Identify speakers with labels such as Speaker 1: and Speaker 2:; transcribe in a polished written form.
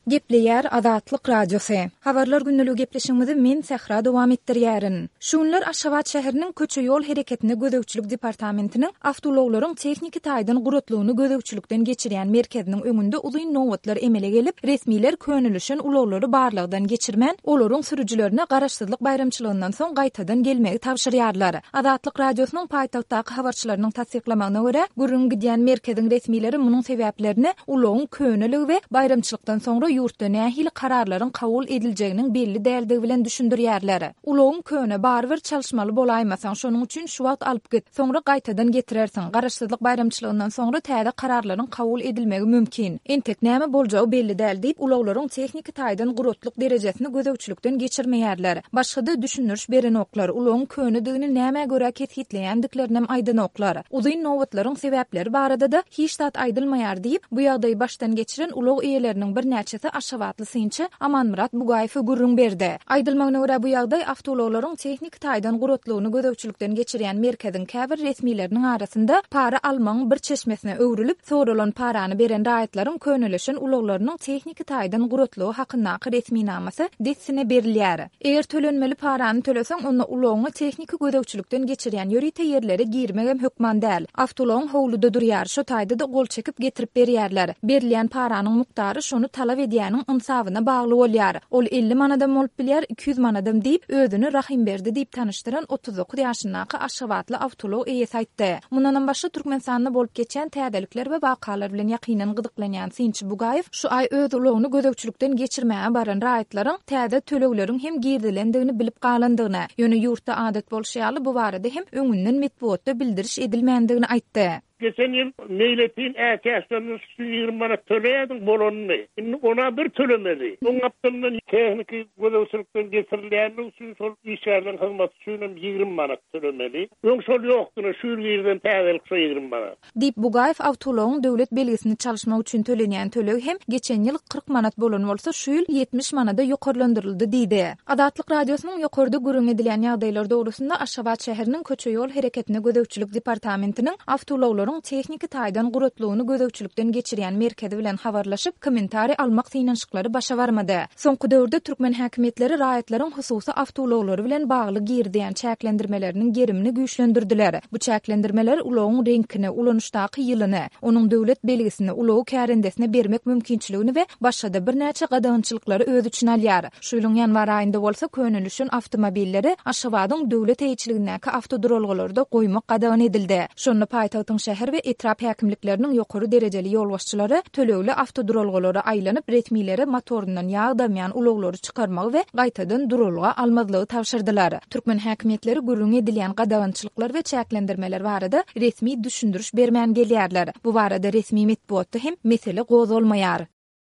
Speaker 1: Gepleýär Azatlyk Radiosy. Habarlar gündeligi gepleşigimizi men Sähra dowam etdirýärin. Şu günler Aşgabat şäheriniň Köçe-ýol hereketine gözegçilik departamentiniň awtoulaglaryň tehniki taýdan guratlygyny gözegçilikden geçirýän merkeziniň öňünde uzyn nobatlar emele gelip, resmiler könelişen ulaglary barlagdan geçirmän, olaryň sürüjilerine Garaşsyzlyk baýramçylygyndan soň gaýtadan gelmegi tabşyrýarlar. Azatlyk Radiosynyň paýtagtdaky habarçylarynyň tassyklamagyna görä, gürrüňi gidýän merkeziň resmileri munuň sebäplerini ulagyň köneligi we baýramçylykdan soňra ýurtda nähili kararlaryň kabul ediljeginiň belli däldigi bilen düşündirýärler. Ulagyň köne, barybir çalyşmaly bolaýmasaň, şonuň üçin şu wagt alyp git, soňra gaýtadan getirersiň. Garaşsyzlyk baýramçylygyndan soňra täze kararlaryň kabul edilmegi mümkin. Entek näme boljagy belli däl diýip, ulaglaryň tehniki taýdan guratlyk derejesini gözegçilikden geçirmeýärler. Başga-da düşündiriş berenoklar, ulagyň könedigini nämä görä kesgitleýändiklerinem aýdanoklar. Uzyn nobatlaryň sebäpleri barada-da hiç zat aýdylmaýar diýip, bu ýagdaýy başdan geçiren ulag eýeleriniň birnäçesi aşgabatly synçy Amanmyrat Bugaýewe gürrüň berdi. Aýdylmagyna görä, bu ýagdaý awtoulaglaryň tehniki taýdan guratlygyny gözegçilikden geçirýän merkeziň käbir resmileriniň arasynda para almagyň bir çeşmesine öwrülip, soralan parany beren raýatlaryň könelişen ulaglarynyň tehniki taýdan guratlygy hakyndaky resminamasy dessine berilýär. Eger tölenmeli parany töleseň, onda ulagyňy tehniki gözegçilikden geçirýän ýörite ýerlere girmegem hökman däl. Awtoulagyň howluda durýar, şo taýda-da gol çekip getirip berýärler. Berilýän paranyň mukdary şony talap edýäniň ynsabyna bagly bolýar. Ol 50 manadam bolup bilýär, 200 manadam diýip, özüni Rahymberdi diýip tanyşdyran 39 ýaşyndaky aşgabatly awtoulag eýesi aýtdy. Mundanam başga Türkmenistanda bolup geçýän täzelikler we wakalar bilen ýakyndan gyzyklanýan synçy Bugaýew şu aý öz ulagyny gözegçilikden geçirmäge baran raýatlaryň täze tölegleriň hem girizilendigini bilip galandygyny, ýöne ýurtda adat bolşy ýaly bu barada hem öňünden metbugatda bildiriş edilmändigini aýtdy.
Speaker 2: Geçen ýyl meýletin ätiýaçlandyryş üçin 20 manat töleýärdiň, bolanyny. Indi ona bir tölemeli. Oň gapdalyndan tehniki gözegçilikden geçirilýänligi üçin şol işgärleriň hyzmaty üçin hem 20 manat tölemeli. Öň şol ýokdy, ine şu ýyl girizen täzelik şo 20 manat.
Speaker 1: Diýip, Bugaýew awtoulagyň döwlet belgisini çalyşmak üçin tölenýän töleg hem geçen ýyl 40 manat bolan bolsa, şu ýyl 70 manada ýokarlandyryldy diýdi. Azatlyk Radiosynyň ýokarda gürrüň edilýän ýagdaýlar dogrusynda Aşgabat şäheriniň Köçe-ýol hereketine gözegçilik departamentiniň awtoulaglaryň tehniki taýdan guratlygyny gözegçilikden geçirýän merkezi bilen habarlaşyp, kommentariý almak synanyşyklary başa barmady. Soňky döwürde türkmen häkimiýetleri raýatlaryň hususy awtoulaglary bilen bagly girizýän çäklendirmeleriniň gerimini güýçlendirdiler. Bu çäklendirmeler ulagyň reňkini, ulanyşdaky ýylyny, onuň döwlet belgisini, ulagy kärendesine bermek mümkinçiligini we başga-da birnäçe gadagançylyklary öz içine alýar. Şu ýylyň ýanwar aýynda bolsa könelişen awtomobilleri Aşgabadyň döwlet eýeçiligindäki awtoduralgalarda goýmak gadagan edildi. Şonda paýtagtyň şäher we etrap häkimlikleriniň ýokary derejeli ýolbaşçylary tölegli awtoduralgalara aýlanyp, resmilere motoryndan ýag damýan ulaglary çykarmagy we gaýtadan duralga almazlygy tabşyrdylar. Türkmen häkimiýetleri gürrüňi edilýän gadagançylyklar we çäklendirmeler barada resmi düşündiriş bermän gelýärler. Bu barada resmi metbugatda hem mesele gozgalmaýar.